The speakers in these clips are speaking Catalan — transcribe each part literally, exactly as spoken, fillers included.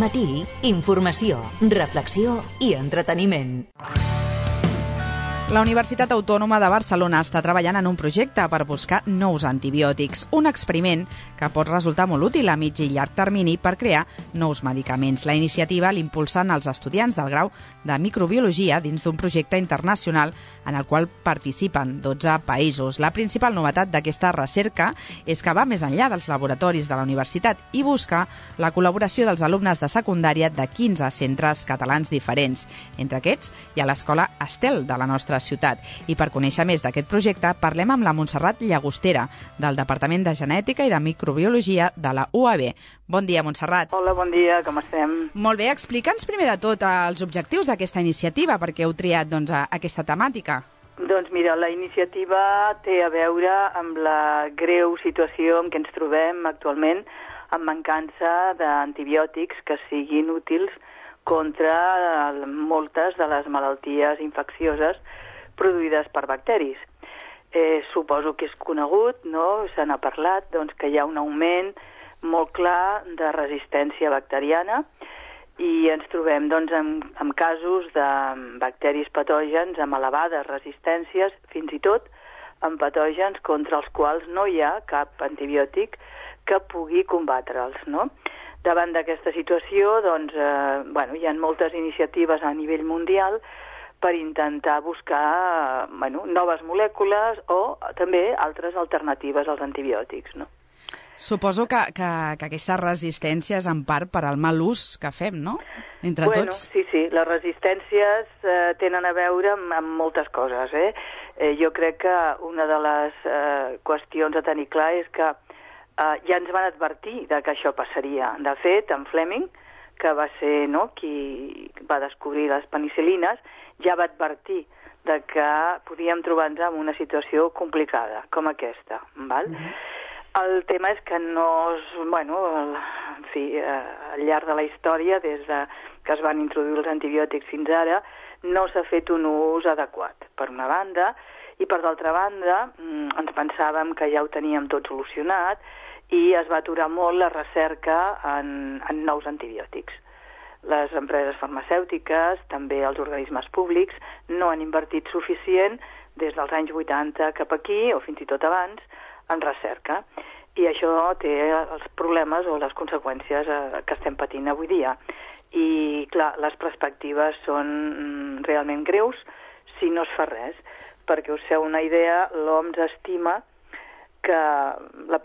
matí, informació, reflexió i entreteniment. La Universitat Autònoma de Barcelona està treballant en un projecte per buscar nous antibiòtics, un experiment que pot resultar molt útil a mig i llarg termini per crear nous medicaments. La iniciativa l'impulsen els estudiants del grau de microbiologia dins d'un projecte internacional en el qual participen dotze països. La principal novetat d'aquesta recerca és que va més enllà dels laboratoris de la universitat i busca la col·laboració dels alumnes de secundària de quinze centres catalans diferents. Entre aquests hi ha l'Escola Estel de la nostra ciutat. I per conèixer més d'aquest projecte parlem amb la Montserrat Llagostera, del Departament de Genètica i de Microbiologia de la U A B. Bon dia, Montserrat. Hola, bon dia, com estem? Molt bé, explica'ns primer de tot els objectius d'aquesta iniciativa, perquè heu triat doncs, aquesta temàtica. Doncs mira, la iniciativa té a veure amb la greu situació en què ens trobem actualment amb mancança d'antibiòtics que siguin útils contra moltes de les malalties infeccioses produïdes per bacteris. Eh, suposo que és conegut, no? Se n'ha parlat, doncs, que hi ha un augment molt clar de resistència bacteriana i ens trobem doncs, amb, amb casos de bacteris patògens amb elevades resistències, fins i tot amb patògens contra els quals no hi ha cap antibiòtic que pugui combatre'ls, no? Davant d'aquesta situació, doncs, eh, bueno, hi ha moltes iniciatives a nivell mundial per intentar buscar bueno, noves molècules o també altres alternatives als antibiòtics, no? Suposo que, que, que aquesta resistència és en part per al mal ús que fem, no? Entre bueno, tots. Sí, sí, les resistències eh, tenen a veure amb, amb moltes coses, eh? eh? Jo crec que una de les eh, qüestions a tenir clar és que eh, ja ens van advertir de que això passaria. De fet, en Fleming, que va ser no, qui va descobrir les penicil·lines, ja va advertir de que podíem trobar-nos en una situació complicada, com aquesta, val? Mm-hmm. El tema és que no... És, bueno, el, en fi, eh, al llarg de la història, des de que es van introduir els antibiòtics fins ara, no s'ha fet un ús adequat, per una banda, i per d'altra banda, ens pensàvem que ja ho teníem tot solucionat i es va aturar molt la recerca en, en nous antibiòtics. Les empreses farmacèutiques, també els organismes públics, no han invertit suficient des dels anys vuitanta cap aquí, o fins i tot abans, en recerca. I això té els problemes o les conseqüències eh, que estem patint avui dia. I, clar, les perspectives són realment greus si no es fa res. Perquè us feu una idea, l'O M S estima que la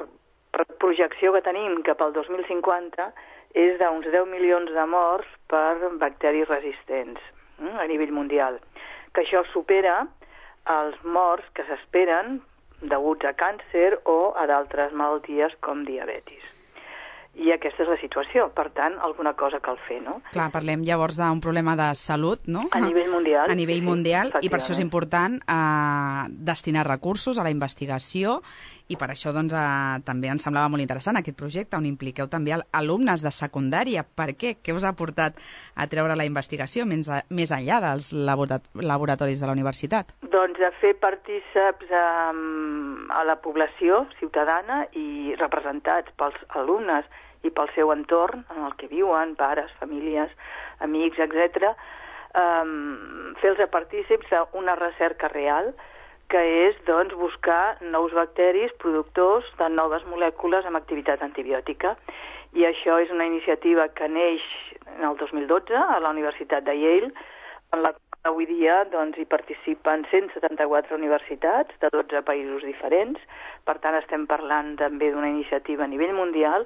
projecció que tenim cap al dos mil cinquanta és d'uns deu milions de morts per bacteris resistents eh, a nivell mundial, que això supera els morts que s'esperen deguts a càncer o a d'altres malalties com diabetis. I aquesta és la situació, per tant, alguna cosa cal fer, no? Clar, parlem llavors d'un problema de salut, no? A nivell mundial. A nivell sí, mundial, i per això és important eh, destinar recursos a la investigació, i per això doncs, eh, també ens semblava molt interessant aquest projecte, on impliqueu també alumnes de secundària. Per què? Què us ha portat a treure la investigació més, a, més enllà dels laboratoris de la universitat? Doncs a fer partíceps a, a la població ciutadana i representats pels alumnes i pel seu entorn, en el que viuen, pares, famílies, amics, etcètera, um, fer-los partícips d'una recerca real, que és doncs, buscar nous bacteris productors de noves molècules amb activitat antibiòtica. I això és una iniciativa que neix en el dos mil dotze a la Universitat de Yale, en la qual avui dia doncs, hi participen cent setanta-quatre universitats de dotze països diferents. Per tant, estem parlant també d'una iniciativa a nivell mundial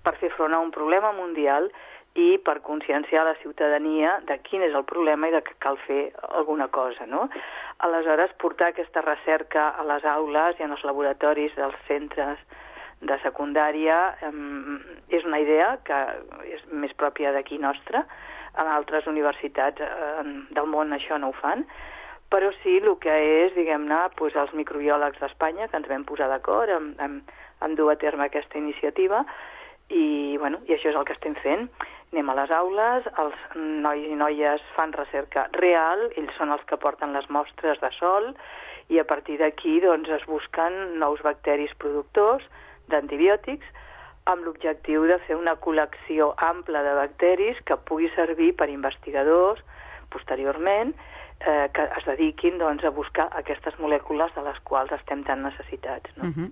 per fer front a un problema mundial i per conscienciar la ciutadania de quin és el problema i de que cal fer alguna cosa, no? Aleshores, portar aquesta recerca a les aules i en els laboratoris dels centres de secundària eh, és una idea que és més pròpia d'aquí nostra. En altres universitats eh, del món això no ho fan, però sí el que és, diguem-ne, doncs els microbiòlegs d'Espanya, que ens vam posar d'acord en, en, en dur a terme aquesta iniciativa, i, bueno, i això és el que estem fent. Anem a les aules, els nois i noies fan recerca real, ells són els que porten les mostres de sol, i a partir d'aquí doncs, es busquen nous bacteris productors d'antibiòtics amb l'objectiu de fer una col·lecció ampla de bacteris que pugui servir per investigadors posteriorment eh, que es dediquin doncs, a buscar aquestes molècules de les quals estem tan necessitats. No? Uh-huh.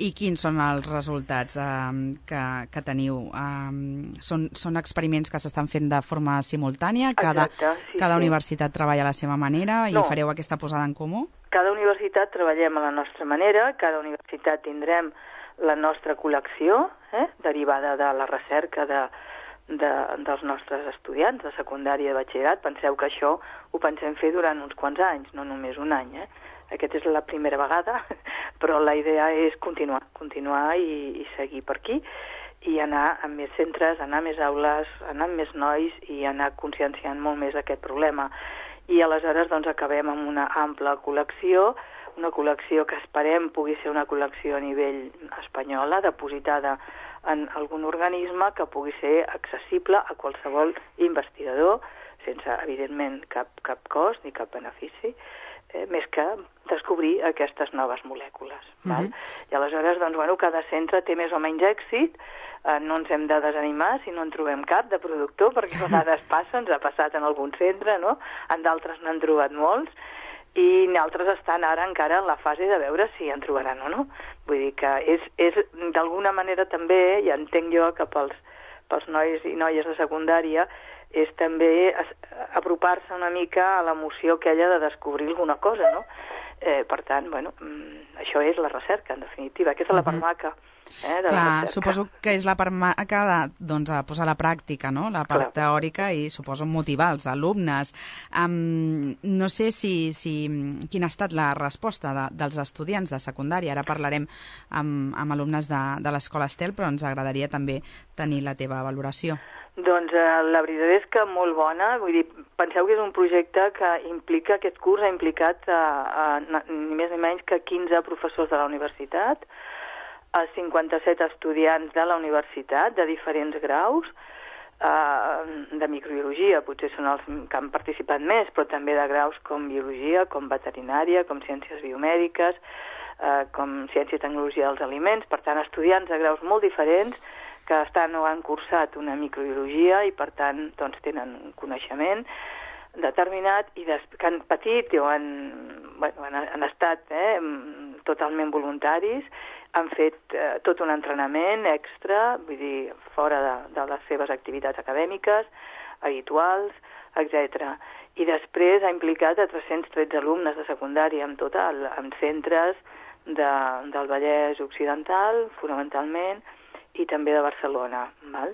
I quins són els resultats um, que, que teniu? Um, són, són experiments que s'estan fent de forma simultània? Cada, Exacte, sí, cada sí. universitat treballa a la seva manera i no. fareu aquesta posada en comú? Cada universitat treballem a la nostra manera, cada universitat tindrem la nostra col·lecció, eh, derivada de la recerca de, de, dels nostres estudiants de secundària i de batxillerat. Penseu que això ho pensem fer durant uns quants anys, no només un any. Eh? Aquesta és la primera vegada, però la idea és continuar, continuar i, i seguir per aquí, i anar a més centres, anar a més aules, anar amb més nois i anar conscienciant molt més aquest problema. I aleshores doncs, acabem amb una ampla col·lecció, una col·lecció que esperem pugui ser una col·lecció a nivell espanyola, depositada en algun organisme que pugui ser accessible a qualsevol investigador, sense, evidentment, cap, cap cost ni cap benefici, eh, més que descobrir aquestes noves molècules. Uh-huh. Val? I aleshores, doncs, bueno, cada centre té més o menys èxit, eh, no ens hem de desanimar si no en trobem cap de productor, perquè a vegades passa, ens ha passat en algun centre, no? En d'altres n'han trobat molts, i altres estan ara encara en la fase de veure si en trobaran o no. Vull dir que és, és d'alguna manera també, ja entenc jo que pels, pels nois i noies de secundària, és també apropar-se una mica a l'emoció aquella de descobrir alguna cosa, no? Eh, per tant, bueno, això és la recerca, en definitiva. Aquesta és la part maca. Eh, de Clar, la suposo que és la part maca de doncs, a posar a la pràctica, no? La part Clar. teòrica i suposo motivar els alumnes. Um, no sé si, si quina ha estat la resposta de, dels estudiants de secundària. Ara parlarem amb, amb alumnes de, de l'Escola Estel, però ens agradaria també tenir la teva valoració. Doncs eh, la veritat és que molt bona. Vull dir, penseu que és un projecte que implica, aquest curs ha implicat a, a, a, ni més ni menys que quinze professors de la universitat, a cinquanta-set estudiants de la universitat, de diferents graus, eh, de microbiologia, potser són els que han participat més, però també de graus com biologia, com veterinària, com ciències biomèdiques, eh, com ciència i tecnologia dels aliments, per tant, estudiants de graus molt diferents que estan o han cursat una microbiologia i, per tant, doncs, tenen un coneixement determinat i des, que han patit o han, bueno, han, han estat eh, totalment voluntaris, han fet eh, tot un entrenament extra, vull dir, fora de, de les seves activitats acadèmiques, habituals, etcètera. I després ha implicat a tres-cents tretze alumnes de secundària en total, en centres de, del Vallès Occidental, fonamentalment, i també de Barcelona. Val?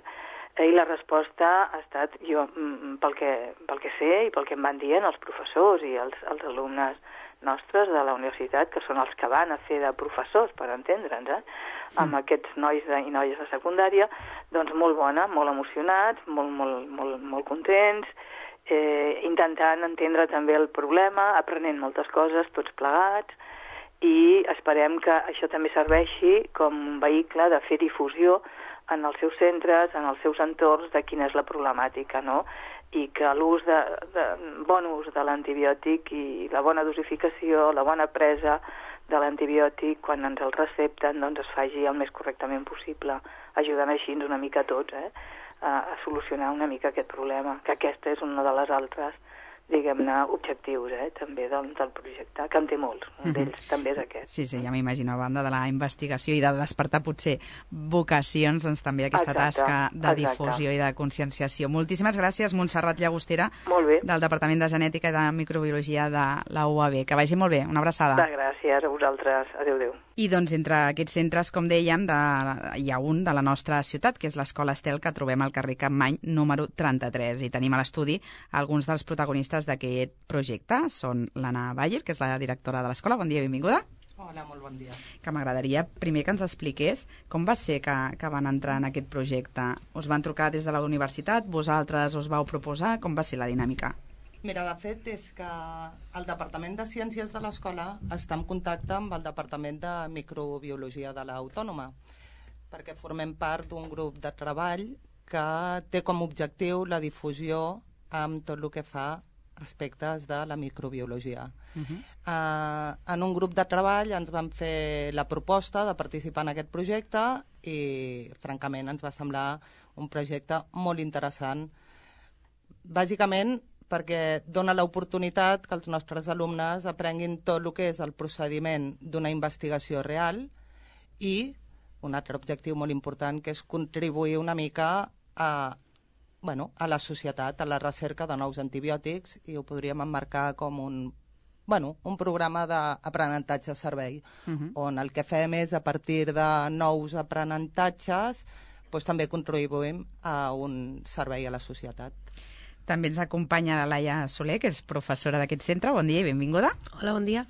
I la resposta ha estat, jo, pel que, pel que sé i pel que em van dient els professors i els, els alumnes nostres de la universitat, que són els que van a fer de professors, per entendre'ns, eh? Sí. Amb aquests nois de, i noies de secundària, doncs molt bona, molt emocionats, molt, molt, molt, molt contents, eh, intentant entendre també el problema, aprenent moltes coses, tots plegats, i esperem que això també serveixi com un vehicle de fer difusió en els seus centres, en els seus entorns, de quina és la problemàtica, no? I que l'ús de, de bon ús de l'antibiòtic i la bona dosificació, la bona presa de l'antibiòtic, quan ens el recepten, doncs es faci el més correctament possible, ajudant així una mica a tots, eh? a, a solucionar una mica aquest problema, que aquesta és una de les altres, diguem-ne, objectius, eh, també del, del projecte, que en té molts, un d'ells mm-hmm. també és aquest. Sí, sí, ja m'imagino, a banda de la investigació i de despertar potser vocacions, doncs també aquesta exacte, tasca de exacte. difusió i de conscienciació. Moltíssimes gràcies, Montserrat Llagostera, del Departament de Genètica i de Microbiologia de la U A B. Que vagi molt bé, una abraçada. De gràcies a vosaltres, adéu-adéu. I doncs entre aquests centres, com dèiem, de, hi ha un de la nostra ciutat, que és l'Escola Estel, que trobem al carrer Capmany número trenta-tres. I tenim a l'estudi alguns dels protagonistes d'aquest projecte. Són l'Anna Bayer, que és la directora de l'escola. Bon dia, benvinguda. Hola, molt bon dia. Que m'agradaria primer que ens expliqués com va ser que, que van entrar en aquest projecte. Us van trucar des de la universitat? Vosaltres us vau proposar? Com va ser la dinàmica? Mira, de fet, és que el Departament de Ciències de l'Escola està en contacte amb el Departament de Microbiologia de l'Autònoma, perquè formem part d'un grup de treball que té com a objectiu la difusió amb tot el que fa aspectes de la microbiologia. Uh-huh. Uh, en un grup de treball ens van fer la proposta de participar en aquest projecte i, francament, ens va semblar un projecte molt interessant. Bàsicament, perquè dona l'oportunitat que els nostres alumnes aprenguin tot el que és el procediment d'una investigació real i un altre objectiu molt important, que és contribuir una mica a, bueno, a la societat, a la recerca de nous antibiòtics, i ho podríem emmarcar com un, bueno, un programa d'aprenentatge-servei, uh-huh. on el que fem és, a partir de nous aprenentatges, doncs també contribuïm a un servei a la societat. També ens acompanya la Laia Soler, que és professora d'aquest centre. Bon dia i benvinguda. Hola, bon dia.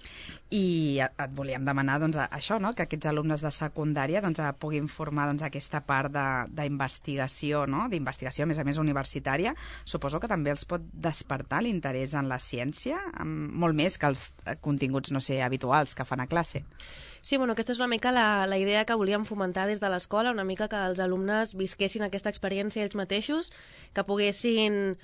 I et volíem demanar doncs, això, no? que aquests alumnes de secundària doncs, puguin formar doncs, aquesta part d'investigació, no? d'investigació, a més a més, universitària. Suposo que també els pot despertar l'interès en la ciència, molt més que els continguts, no sé, habituals que fan a classe. Sí, bueno, aquesta és una mica la, la idea que volíem fomentar des de l'escola, una mica que els alumnes visquessin aquesta experiència ells mateixos, que poguessin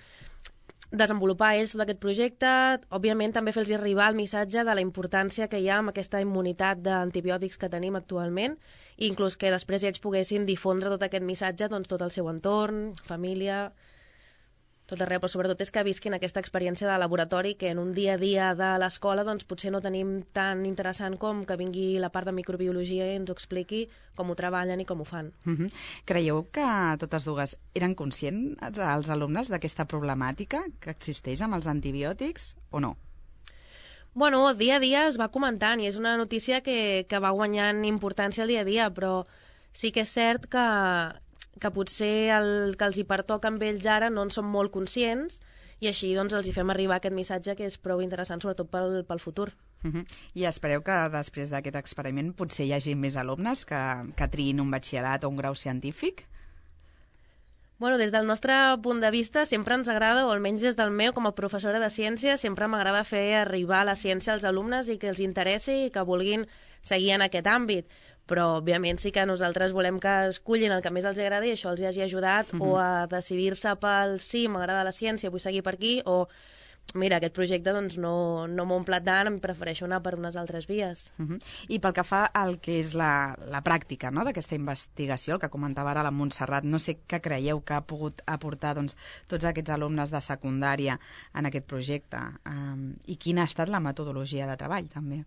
desenvolupar ells d'aquest projecte, òbviament també fer-los arribar el missatge de la importància que hi ha amb aquesta immunitat d'antibiòtics que tenim actualment, i inclús que després ells poguessin difondre tot aquest missatge doncs, tot el seu entorn, família, tot arreu, però sobretot és que visquin aquesta experiència de laboratori que en un dia a dia de l'escola doncs, potser no tenim tan interessant com que vingui la part de microbiologia i ens ho expliqui com ho treballen i com ho fan. Uh-huh. Creieu que totes dues eren conscients els alumnes d'aquesta problemàtica que existeix amb els antibiòtics o no? Bueno, dia a dia es va comentant i és una notícia que, que va guanyant importància al dia a dia, però sí que és cert que que potser el que els hi pertoca amb ells ara no en són molt conscients i així doncs els hi fem arribar aquest missatge que és prou interessant sobretot pel, pel futur. Uh-huh. I espereu que després d'aquest experiment potser hi hagi més alumnes que, que triïn un batxillerat o un grau científic? Bueno, des del nostre punt de vista sempre ens agrada, o almenys des del meu com a professora de ciència, sempre m'agrada fer arribar la ciència als alumnes i que els interessi i que vulguin seguir en aquest àmbit. Però, òbviament, sí que nosaltres volem que escullin el que més els agrada i això els hagi ajudat uh-huh. o a decidir-se pel sí, m'agrada la ciència, vull seguir per aquí, o mira, aquest projecte doncs, no, no m'ho emplat tant, em prefereixo anar per unes altres vies. Uh-huh. I pel que fa al que és la, la pràctica no? d'aquesta investigació, el que comentava ara la Montserrat, no sé què creieu que ha pogut aportar doncs, tots aquests alumnes de secundària en aquest projecte um, i quina ha estat la metodologia de treball, també.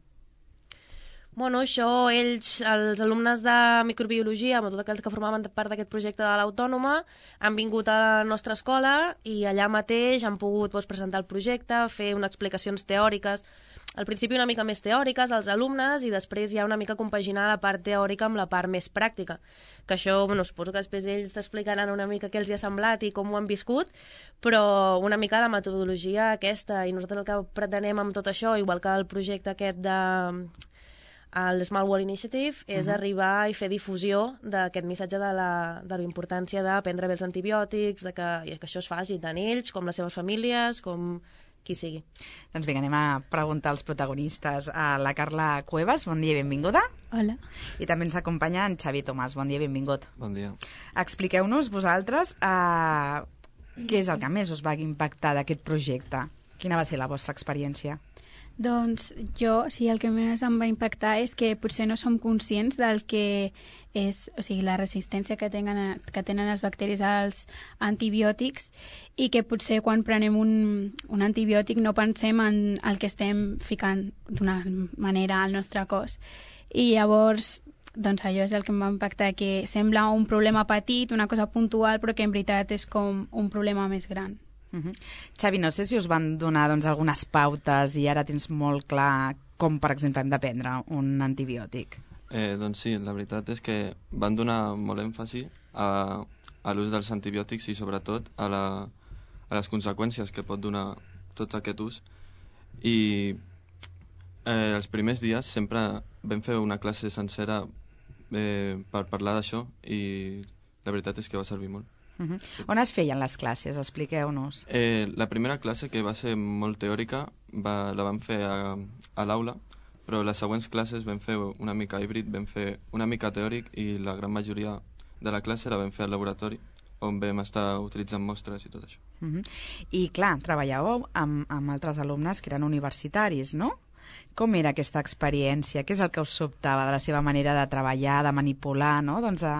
Bueno, això, ells, els alumnes de microbiologia, amb tots aquells que formaven part d'aquest projecte de l'Autònoma, han vingut a la nostra escola i allà mateix han pogut doncs, presentar el projecte, fer unes explicacions teòriques, al principi una mica més teòriques als alumnes i després ja una mica compaginar la part teòrica amb la part més pràctica. Que això, bueno, suposo que després ells t'explicaran una mica què els hi ha semblat i com ho han viscut, però una mica la metodologia aquesta, i nosaltres el que pretenem amb tot això, igual que el projecte aquest de el Small World Initiative, és uh-huh. arribar i fer difusió d'aquest missatge de la, de la importància de prendre bé els antibiòtics, de que, que això es faci tant ells com les seves famílies, com qui sigui. Doncs vinga, anem a preguntar als protagonistes. A la Carla Cuevas, bon dia i benvinguda. Hola. I també ens acompanya en Xavi Tomàs, bon dia i benvingut. Bon dia. Expliqueu-nos vosaltres eh, què és el que més us va impactar d'aquest projecte. Quina va ser la vostra experiència? Doncs jo, o sigui, el que més em va impactar és que potser no som conscients del que és, o sigui, la resistència que tenen, que tenen els bacteris als antibiòtics i que potser quan prenem un, un antibiòtic no pensem en el que estem ficant d'una manera al nostre cos. I llavors, doncs allò és el que em va impactar, que sembla un problema petit, una cosa puntual, però que en veritat és com un problema més gran. Uh-huh. Xavi, no sé si us van donar doncs, algunes pautes i ara tens molt clar com, per exemple, hem de prendre un antibiòtic. Eh, doncs sí, la veritat és que van donar molt èmfasi a, a l'ús dels antibiòtics i sobretot a, la, a les conseqüències que pot donar tot aquest ús. I eh, els primers dies sempre vam fer una classe sencera eh, per parlar d'això i la veritat és que va servir molt. Uh-huh. On es feien les classes? Expliqueu-nos. Eh, la primera classe, que va ser molt teòrica, va, la vam fer a, a l'aula, però les següents classes vam fer una mica híbrid, vam fer una mica teòric i la gran majoria de la classe la vam fer al laboratori on vam estar utilitzant mostres i tot això. Uh-huh. I clar, treballàveu amb, amb altres alumnes que eren universitaris, no? Com era aquesta experiència? Què és el que us sobtava de la seva manera de treballar, de manipular, no? Doncs a,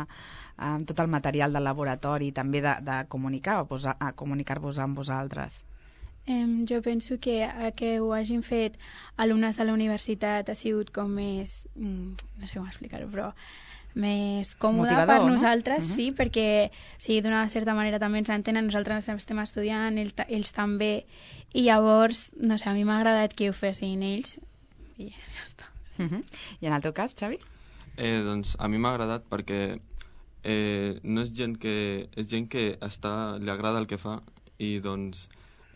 a, amb tot el material del laboratori, també de, de comunicar-vos a, a comunicar-vos amb vosaltres? Um, jo penso que a que ho hagin fet alumnes de la universitat ha sigut com més... Mm, no sé com explicar-ho, però més còmode motivador, per nosaltres, no? Uh-huh. sí, perquè sí, d'una certa manera també ens entenen, nosaltres estem estudiant, ells, ells també, i llavors, no sé, a mi m'ha agradat que ho fessin ells, i ja està. Uh-huh. I en el teu cas, Xavi? Eh, doncs a mi m'ha agradat perquè eh, no és gent que... és gent que està, li agrada el que fa i doncs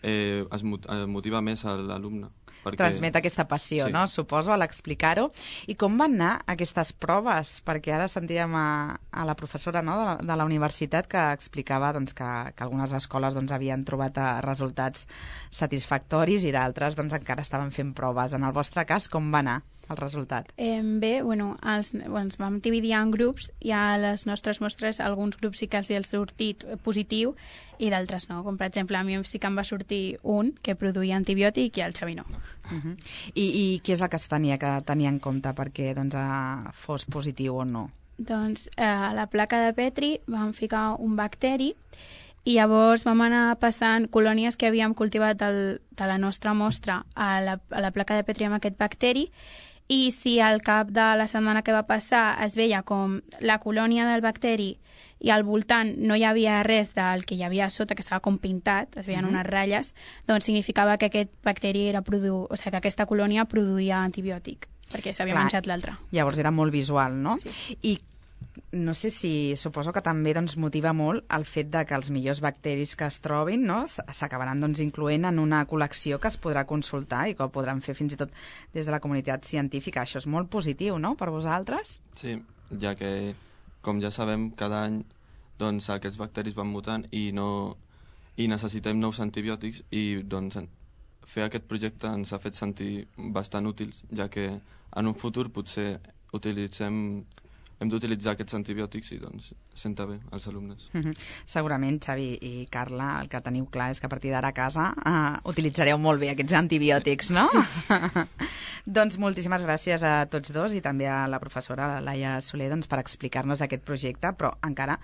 eh, es motiva més a l'alumne. Perquè... Transmet aquesta passió, sí. no? Suposo, a l'explicar-ho. I com van anar aquestes proves? Perquè ara sentíem a, a la professora, no?, de, la, de la universitat que explicava doncs, que, que algunes escoles doncs, havien trobat resultats satisfactoris i d'altres doncs, encara estaven fent proves. En el vostre cas, com va anar el resultat? Eh, bé, bueno, els, bueno, ens vam dividir en grups i a les nostres mostres alguns grups sí que els hi ha sortit positiu i d'altres no. Com per exemple, a mi sí que em va sortir un que produïa antibiòtic i al Xavi no. Uh-huh. I, I què és el que es tenia que tenir en compte perquè doncs, a, fos positiu o no? Doncs eh, a la placa de Petri vam ficar un bacteri i llavors vam anar passant colònies que havíem cultivat del, de la nostra mostra a la, a la placa de Petri amb aquest bacteri i si al cap de la setmana que va passar es veia com la colònia del bacteri i al voltant no hi havia res del que hi havia a sota, que estava com pintat, es veien mm-hmm. unes ratlles, doncs significava que aquest bacteri era produ... o sigui, que aquesta colònia produïa antibiòtic, perquè s'havia Clar, menjat l'altre. Llavors era molt visual, no? Sí. I no sé si... Suposo que també doncs, motiva molt el fet de que els millors bacteris que es trobin no, s'acabaran doncs, incloent en una col·lecció que es podrà consultar i que ho podran fer fins i tot des de la comunitat científica. Això és molt positiu, no?, per vosaltres? Sí, ja que, com ja sabem, cada any doncs, aquests bacteris van mutant i, no, i necessitem nous antibiòtics i doncs, fer aquest projecte ens ha fet sentir bastant útils, ja que en un futur potser utilitzem hem d'utilitzar aquests antibiòtics i doncs senta bé als alumnes. Mm-hmm. Segurament, Xavi i Carla, el que teniu clar és que a partir d'ara a casa uh, utilitzareu molt bé aquests antibiòtics, no? Sí. Doncs moltíssimes gràcies a tots dos i també a la professora Laia Soler doncs, per explicar-nos aquest projecte, però encara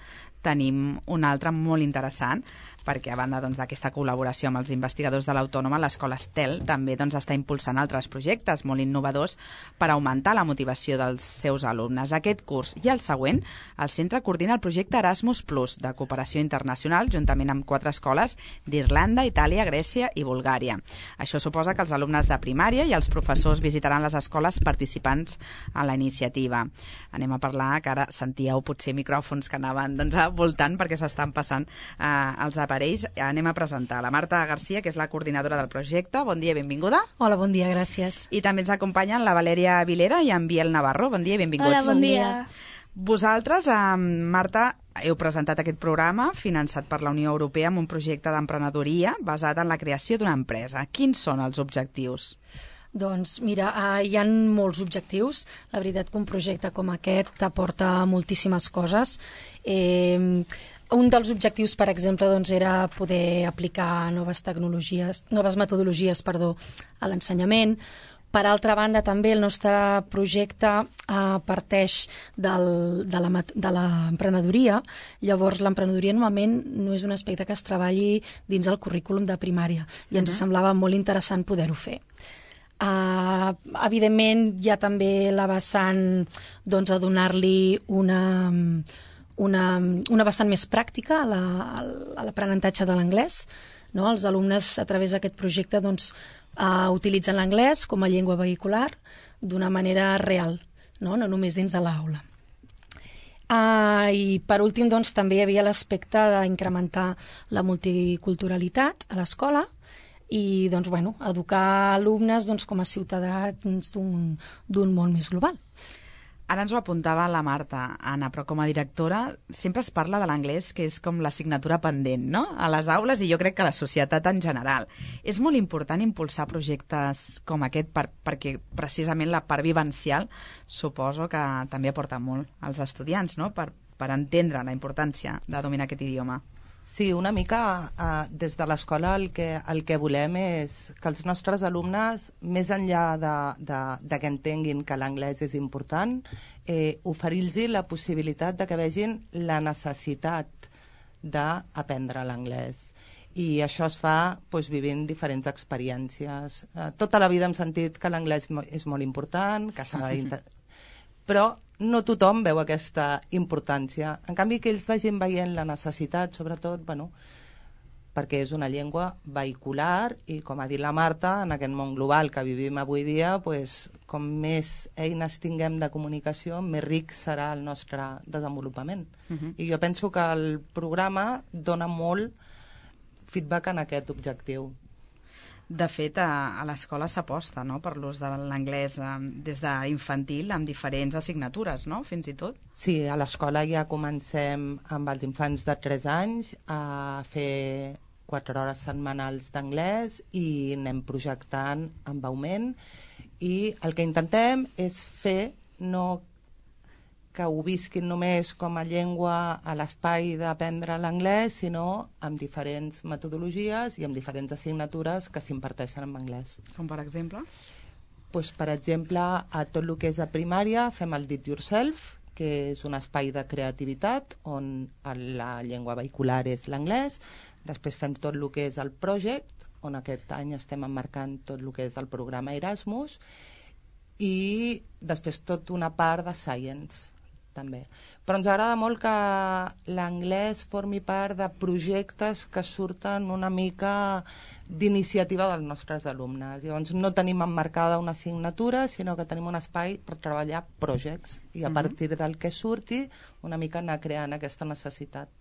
tenim un altre molt interessant perquè a banda doncs, d'aquesta col·laboració amb els investigadors de l'Autònoma, l'Escola Estel també doncs, està impulsant altres projectes molt innovadors per augmentar la motivació dels seus alumnes. Aquest curs i el següent, el centre coordina el projecte Erasmus Plus, de cooperació internacional, juntament amb quatre escoles d'Irlanda, Itàlia, Grècia i Bulgària. Això suposa que els alumnes de primària i els professors visitaran les escoles participants a la iniciativa. Anem a parlar, que ara sentíeu potser micròfons que anaven doncs, voltant perquè s'estan passant eh, els aparells. Anem a presentar la Marta Garcia, que és la coordinadora del projecte. Bon dia i benvinguda. Hola, bon dia, gràcies. I també ens acompanyen la Valèria Vilera i en Biel Navarro. Bon dia i benvinguts. Hola, bon dia. Vosaltres, eh, Marta, heu presentat aquest programa finançat per la Unió Europea amb un projecte d'emprenedoria basat en la creació d'una empresa. Quins són els objectius? Doncs mira, eh, hi ha molts objectius. La veritat que un projecte com aquest t'aporta moltíssimes coses. Eh, un dels objectius, per exemple, doncs, era poder aplicar noves tecnologies, noves metodologies, perdó, a l'ensenyament. Per altra banda, també el nostre projecte eh, parteix del, de la, de l'emprenedoria. Llavors, l'emprenedoria normalment no és un aspecte que es treballi dins el currículum de primària i ens uh-huh. semblava molt interessant poder-ho fer. Uh, evidentment, hi ha també la vessant doncs, a donar-li una, una, una vessant més pràctica a, la, a l'aprenentatge de l'anglès. No? Els alumnes, a través d'aquest projecte, doncs, uh, utilitzen l'anglès com a llengua vehicular d'una manera real, no, no només dins de l'aula. Uh, I, per últim, doncs, també hi havia l'aspecte d'incrementar la multiculturalitat a l'escola i doncs, bueno, educar alumnes doncs, com a ciutadans d'un, d'un món més global. Ara ens ho apuntava la Marta, Anna, però com a directora sempre es parla de l'anglès, que és com l'assignatura pendent, no?, a les aules i jo crec que a la societat en general. És molt important impulsar projectes com aquest per, perquè precisament la part vivencial suposo que també aporta molt als estudiants, no?, per per entendre la importància de dominar aquest idioma. Sí, una mica eh, des de l'escola el que, el que volem és que els nostres alumnes, més enllà de, de, de que entenguin que l'anglès és important, eh, oferir-los la possibilitat de que vegin la necessitat d'aprendre l'anglès. I això es fa doncs, vivint diferents experiències. Eh, tota la vida hem sentit que l'anglès és molt important, que s'ha de... però no tothom veu aquesta importància. En canvi, que ells vagin veient la necessitat, sobretot, bueno, perquè és una llengua vehicular i, com ha dit la Marta, en aquest món global que vivim avui dia, pues, com més eines tinguem de comunicació, més ric serà el nostre desenvolupament. Uh-huh. I jo penso que el programa dona molt feedback en aquest objectiu. De fet, a, a l'escola s'aposta, no?, per l'ús de l'anglès eh, des d'infantil amb diferents assignatures, no?, fins i tot. Sí, a l'escola ja comencem amb els infants de tres anys a fer quatre hores setmanals d'anglès i anem projectant amb augment, i el que intentem és fer no que ho visquin només com a llengua a l'espai d'aprendre l'anglès, sinó amb diferents metodologies i amb diferents assignatures que s'imparteixen en anglès. Com per exemple? Pues, per exemple, a tot el que és a primària fem el Did Yourself, que és un espai de creativitat on la llengua vehicular és l'anglès. Després fem tot el que és el Project, on aquest any estem emmarcant tot el que és el programa Erasmus, i després tot una part de Science, també. Però ens agrada molt que l'anglès formi part de projectes que surten una mica d'iniciativa dels nostres alumnes. Llavors no tenim emmarcada una assignatura, sinó que tenim un espai per treballar projectes i a partir del que surti una mica anar creant aquesta necessitat.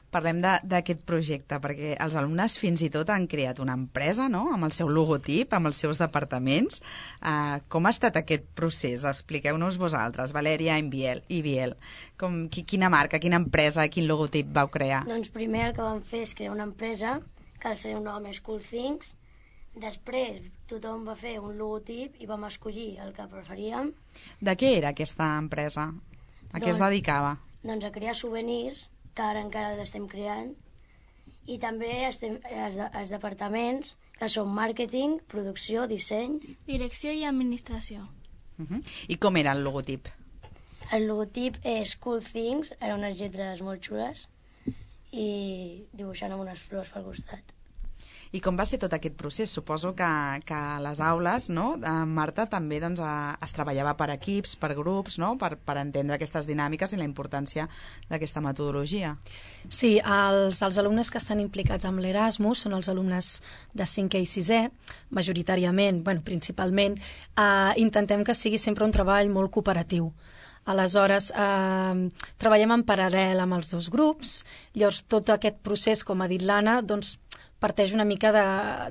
Parlem d'aquest projecte, perquè els alumnes fins i tot han creat una empresa, no?, amb el seu logotip, amb els seus departaments. Uh, com ha estat aquest procés? Expliqueu-nos vosaltres, Valèria i Biel. I Biel. Com, qui, quina marca, quina empresa, quin logotip vau crear? Doncs primer el que vam fer és crear una empresa, que el seu nom és Cool Things. Després tothom va fer un logotip i vam escollir el que preferíem. De què era aquesta empresa? A què doncs, es dedicava? Doncs a crear souvenirs, que ara encara l'estem creant, i també estem, els, els departaments, que són màrqueting, producció, disseny... Direcció i administració. Uh-huh. I com era el logotip? El logotip és Cool Things, eren unes lletres molt xules, i dibuixant amb unes flors pel costat. I com va ser tot aquest procés? Suposo que, que a les aules, no, Marta, també doncs, es treballava per equips, per grups, no? per, per entendre aquestes dinàmiques i la importància d'aquesta metodologia. Sí, els, els alumnes que estan implicats amb l'Erasmus són els alumnes de cinquè i sisè, majoritàriament, bueno, principalment. Eh, intentem que sigui sempre un treball molt cooperatiu. Aleshores, eh, treballem en paral·lel amb els dos grups, llavors tot aquest procés, com ha dit l'Anna, doncs, parteix una mica de,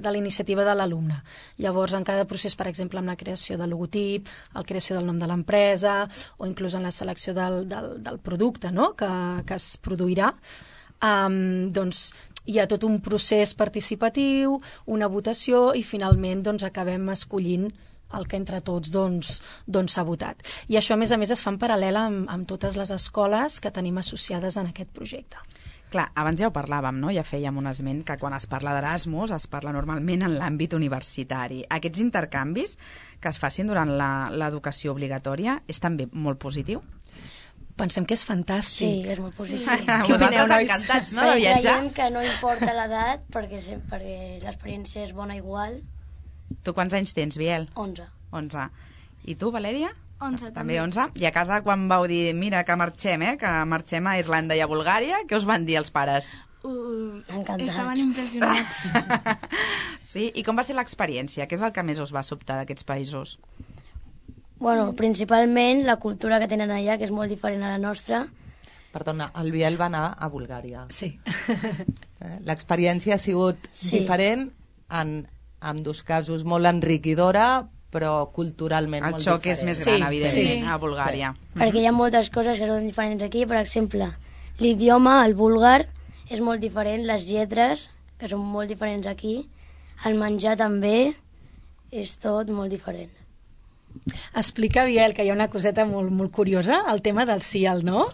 de la iniciativa de l'alumne. Llavors, en cada procés, per exemple, amb la creació del logotip, la creació del nom de l'empresa, o inclús en la selecció del, del, del producte, no?, que, que es produirà, um, doncs hi ha tot un procés participatiu, una votació, i finalment doncs, acabem escollint el que entre tots doncs, doncs s'ha votat. I això, a més a més, es fa en paral·lel amb, amb totes les escoles que tenim associades en aquest projecte. Clar, abans ja ho parlàvem, no? Ja fèiem un esment que quan es parla d'Erasmus es parla normalment en l'àmbit universitari. Aquests intercanvis que es facin durant l'educació obligatòria és també molt positiu? Pensem que és fantàstic. Sí, és molt positiu. Sí. Vosaltres encantats, no?, de viatjar? Creiem que no importa l'edat, perquè, perquè l'experiència és bona igual. Tu quants anys tens, Biel? onze. onze. I tu, Valèria? onze, també. també. onze. I a casa, quan vau dir, mira, que marxem, eh, que marxem a Irlanda i a Bulgària, què us van dir els pares? Uh, Encantats. Estaven impressionats. Sí? I com va ser l'experiència? Què és el que més us va sobtar d'aquests països? Bueno, principalment la cultura que tenen allà, que és molt diferent a la nostra. Perdona, el Biel va anar a Bulgària. Sí. Eh? L'experiència ha sigut Sí. diferent, en ambdós casos molt enriquidora, però culturalment El molt xoc diferent. és més gran, Sí, evidentment, sí. a Bulgària. Sí. Perquè hi ha moltes coses que són diferents aquí. Per exemple, l'idioma, el búlgar, és molt diferent, les lletres, que són molt diferents aquí, el menjar també, és tot molt diferent. Explica, Biel, que hi ha una coseta molt, molt curiosa, el tema del C I A L, no?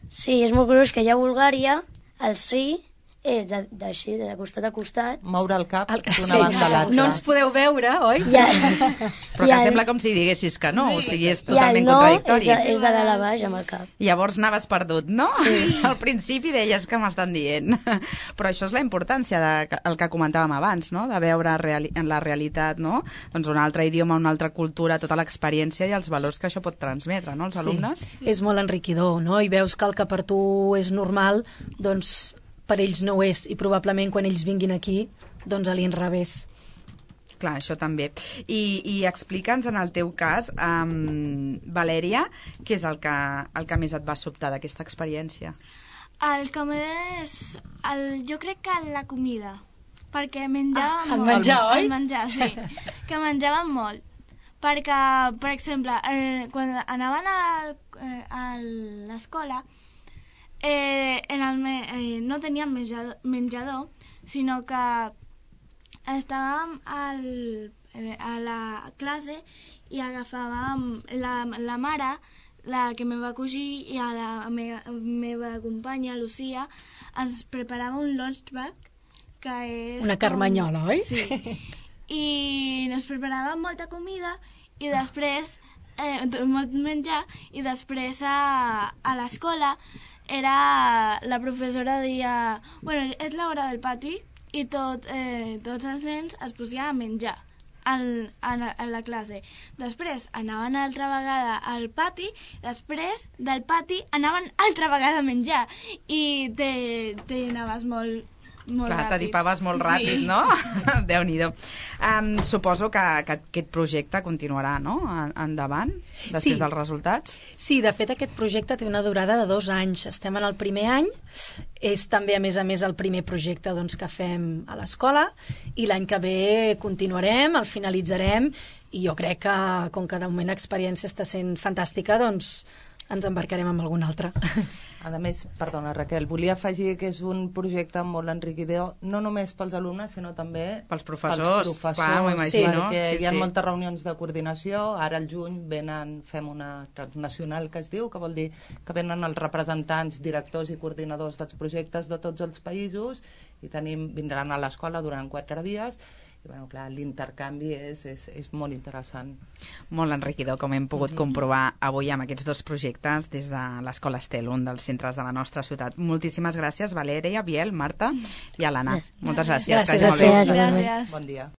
Sí, és molt curiós que allà a Bulgària el sí és d'així, de, de costat a costat. Moure el cap El- d'una sí. banda a l'altra. No ens podeu veure, oi? I el, Però i que el- sembla com si diguessis que no, o sigui, és i el totalment no és contradictori. de, és de dalt a baix amb el cap. Llavors anaves perdut, no? Sí. Al principi deies que m'estan dient. Però això és la importància del el que comentàvem abans, no? De veure reali en la realitat, no? Doncs un altre idioma, una altra cultura, tota l'experiència i els valors que això pot transmetre, no? Els alumnes. Sí. És molt enriquidor, no? I veus que el que per tu és normal, doncs per ells no ho és, i probablement quan ells vinguin aquí, doncs a l'inrevés. Clar, això també. I, i explica'ns en el teu cas, um, Valèria, què és el que, el que més et va sobtar d'aquesta experiència? El que més... El, jo crec que la comida, perquè menjàvem Ah, el molt. menjar, oi? El menjar, sí. Que menjàvem molt. Perquè, per exemple, eh, quan anaven a, eh, a l'escola, eh, en el me, eh, no teníem menjador, menjador, sinó que estàvem al, eh, a la classe i agafàvem la, la mare, la que me va cosir, i a la me, meva companya, Lucía, es preparava un lunch bag, que és... Una carmanyola, oi? Sí. I ens preparàvem molta comida i després, eh, molt menjar, i després a, a l'escola era la professora deia, bueno, és l'hora del pati, i tot, eh, tots els nens es posien a menjar en, en, en la classe. Després anaven altra vegada al pati, després del pati anaven altra vegada a menjar, i te, te anaves molt, molt Clar, ràpid. t'adipaves molt ràpid, Sí. no? Déu-n'hi-do. Um, suposo que, que aquest projecte continuarà, no?, En- endavant, després Sí. dels resultats. Sí, de fet aquest projecte té una durada de dos anys. Estem en el primer any, és també a més a més el primer projecte doncs, que fem a l'escola, i l'any que ve continuarem, el finalitzarem, i jo crec que com que de moment l'experiència està sent fantàstica, doncs ens embarcarem amb algun altre. A més, perdona Raquel, volia afegir que és un projecte molt enriquidor, no només pels alumnes, sinó també Pels professors, pels professors, clar, m'ho imagino. perquè Sí, hi ha sí. moltes reunions de coordinació, ara al juny venen, fem una transnacional que es diu, que vol dir que venen els representants, directors i coordinadors dels projectes de tots els països, i tenim, vindran a l'escola durant quatre dies, i bueno, clar, l'intercanvi és, és, és molt interessant. Molt enriquidor, com hem pogut comprovar avui amb aquests dos projectes des de l'Escola Estel, un dels centres de la nostra ciutat. Moltíssimes gràcies, Valèria, Biel, Marta i Alana. Moltes gràcies. Gràcies, que vagi molt bé. gràcies. Gràcies. Bon dia.